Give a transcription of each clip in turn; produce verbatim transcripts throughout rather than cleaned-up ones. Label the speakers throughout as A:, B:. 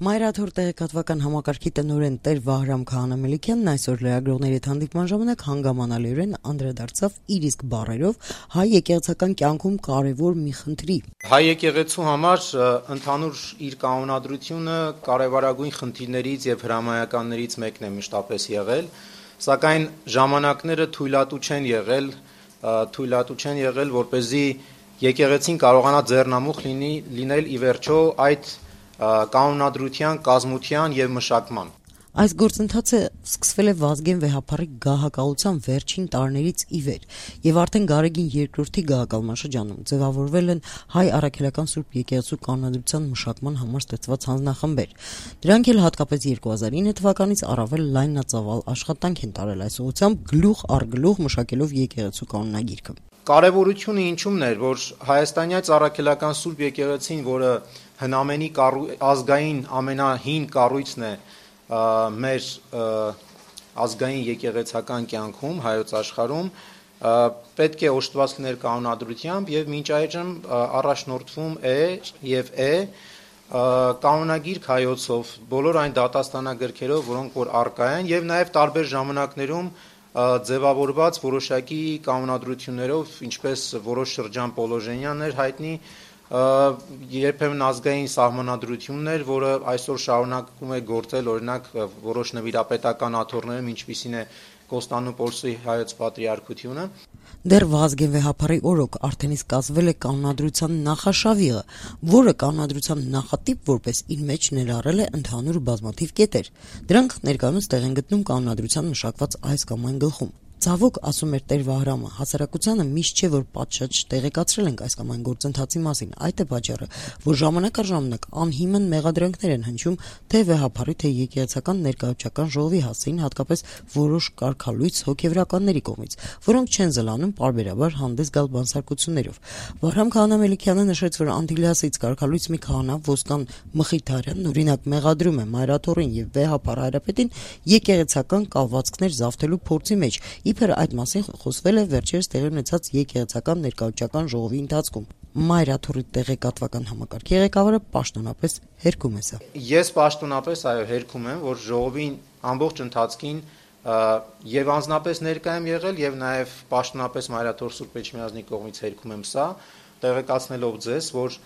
A: Մայրաթոր տեղեկատվական համակարգի տնօրեն Տեր Վահրամ Քահանա-Մելիքյանն այսօր լրագրողների հետ հանդիպման ժամանակ հանգամանալիորեն անդրադարձավ իր իսկ բառերով հայ եկեղեցական կյանքում կարևոր մի խնդրի.
B: Հայ եկեղեցու համար ընդհանուր իր կանոնադրությունը կարևորագույն խնդիրներից եւ հրամայականներից մեկն է մշտապես եղել, սակայն ժամանակները թույլատու չեն եղել, թույլատու չեն եղել, որպեսզի եկեղեցին կարողանա ձեռնամուխ լինի լինել ի վերջո այդ կանոնադրության, կազմության եւ մշակման։
A: Այս գործընթացը սկսվել է Վազգեն վեհափառի գահակալության վերջին տարիներից ի վեր եւ արդեն Գարեգին երկրորդի գահակալման շրջանում ձևավորվել են հայ առաքելական Սուրբ եկեղեցու կանոնադրության մշակման համար ստեղծված հանձնախմբեր։ Դրանք էլ հատկապես երկու հազար ինը թվականից առավել լայնածավալ աշխատանք են տարել այս ուղղությամբ գլուխ առ գլուխ մշակելով եկեղեցու կանոնագիրքը։
B: Կարևորությունը ինչումն էր, որ հայաստանյաց առաքելական Սուրբ եկեղեցին, որը հնամենի ազգային ամենահին կառույցն է մեր ազգային եկեղեցական կյանքում հայոց աշխարհում, պետք է օժտված լինել կանոնադրությամբ եւ մինչ այժմ առաջնորդվում է եւ է կանոնագիրք հայոցով, բոլոր այն դատաստանագրքերով, որոնք որ առկա են եւ նաեւ տարբեր ժամանակներում ձևավորված որոշակի կանոնադրություններով, ինչպես որոշ շրջան պոլոժենյաններ հայտնի, երբեմն ազգային սահմանադրություններ, որը այսօր շարունակում է գործել, օրինակ որոշ նվիրապետական աթոռներում, ինչպիսին է Կոստանդնուպոլսի հայոց պատրիարքությունը։
A: Դեռ Վազգեն վեհափառի օրոք արդեն իսկ կազմվել է կանոնադրության նախաշավիղը, որը կանոնադրության նախատիպ որպես իր մեջ ներառել է ընդհանուր բազմաթիվ կետեր։ Դրանք ներկայումս տեղ են գտնում կանոնադրության մշակված այս կամ այն գլխում։ Ցավոք, ասում էր Տեր Վահրամը, հասարակությանը միշտ չէ, որ պատշաճ տեղեկացրել ենք այս կամ այն գործընթացի մասին։ Այդ է պատճառը, որ ժամանակ առ ժամանակ անհիմն մեղադրանքներ են հնչում թե վեհափառի, թե եկեղեցական ներկայացական ժողովի հասցեին, հատկապես որոշ կարգալույծ հոգևորականների կողմից, որոնք չեն զլանում պարբերաբար հանդես գալ բանսարկություններով։ Վահրամ Քահանա-Մելիքյանը նշեց, որ Անդիլիասից կարգալույծ մի քահանա Ոսկան Մխիթարյանն օրինակ մեղադրում է Մայրաթորին եւ վեհափառ հայրապետին եկեղեցական կալվածքներ զավթելու փորձի մեջ։ Իբր այդ մասին խոսվել է վերջերս տեղի ունեցած եկեղեցական ներկայացական ժողովի ընթացքում։ Մայրաթորի տեղեկատվական համակարգի ղեկավարը պաշտոնապես հերքում է սա։
B: Ես պաշտոնապես այո հերքում եմ, որ ժողովին ամբողջ ընթացքին եւ անձնապես ներկայ եմ եղել եւ նաեւ պաշտոնապես Մայրաթոր Սուրբ Էջմիածնի կողմից հերքում եմ սա, տեղեկացնելով ձեզ, որ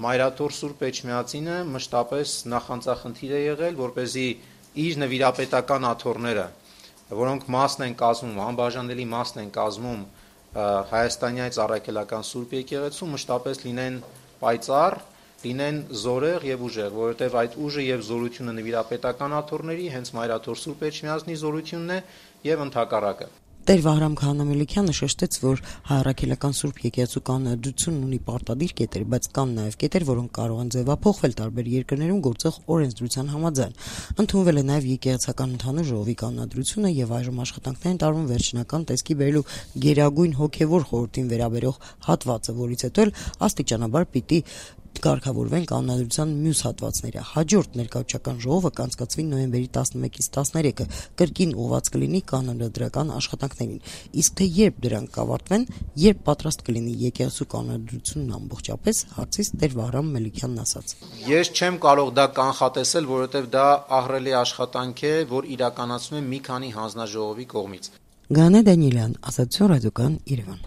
B: Մայրաթոր Սուրբ Էջմիածինը մշտապես նախանձախնդիր է եղել, որպեսզի իր նվիրապետական աթոռները, որոնք մասն են կազմում, անբաժանելի մասն են կազմում հայաստանյաց առաքելական Սուրբ եկեղեցու, մշտապես լինեն պայծառ, լինեն զորեղ եւ ուժեղ, որովհետեւ այդ ուժը եւ զորությունը նվիրապետական աթոռների հենց Մայրաթոր Սուրբ Էջմիածնի զորությունն է եւ ընդհակառակը։
A: Տեր Վահրամ Քահանա-Մելիքյանը շեշտեց, որ հայ առաքելական Սուրբ եկեղեցու կանոնադրությունն ունի պարտադիր կետեր, բայց կան նաև կետեր, որոնք կարող են ձևափոխվել տարբեր երկրներում գործող օրենսդրության համաձայն։ Ընդունվել է նաև եկեղեցական ընդհանուր ժողովի կանոնադրությունը եւ այժմ աշխատանքներ են տարվում վերջնական տեսքի բերելու Գերագույն հոգեվոր խորհրդին վերաբերող հատվածը, որից հետո էլ աստիճանաբար պիտի կարգավորվեն կանոնադրության մյուս հատվածները։ Հաջորդ ներկայացական ժողովը կանցկացվի նոյեմբերի տասնմեկից տասներեքը, կրկին ուղղված կլինի կանոնադրական աշխատանքներին։ Իսկ թե երբ դրանք կավարտվեն, երբ պատրաստ կլինի եկեղեցու կանոնադրությունն ամբողջապես, հարցից Տեր Վահրամ Մելիքյանն ասաց.
B: Ես չեմ կարող դա կանխատեսել, որովհետև դա ահռելի աշխատանք է, որ իրականացվում է մի քանի հանձնաժողովի կողմից։
A: Գանե Դանիելյան, Ազատություն ռադիոկան, Երևան։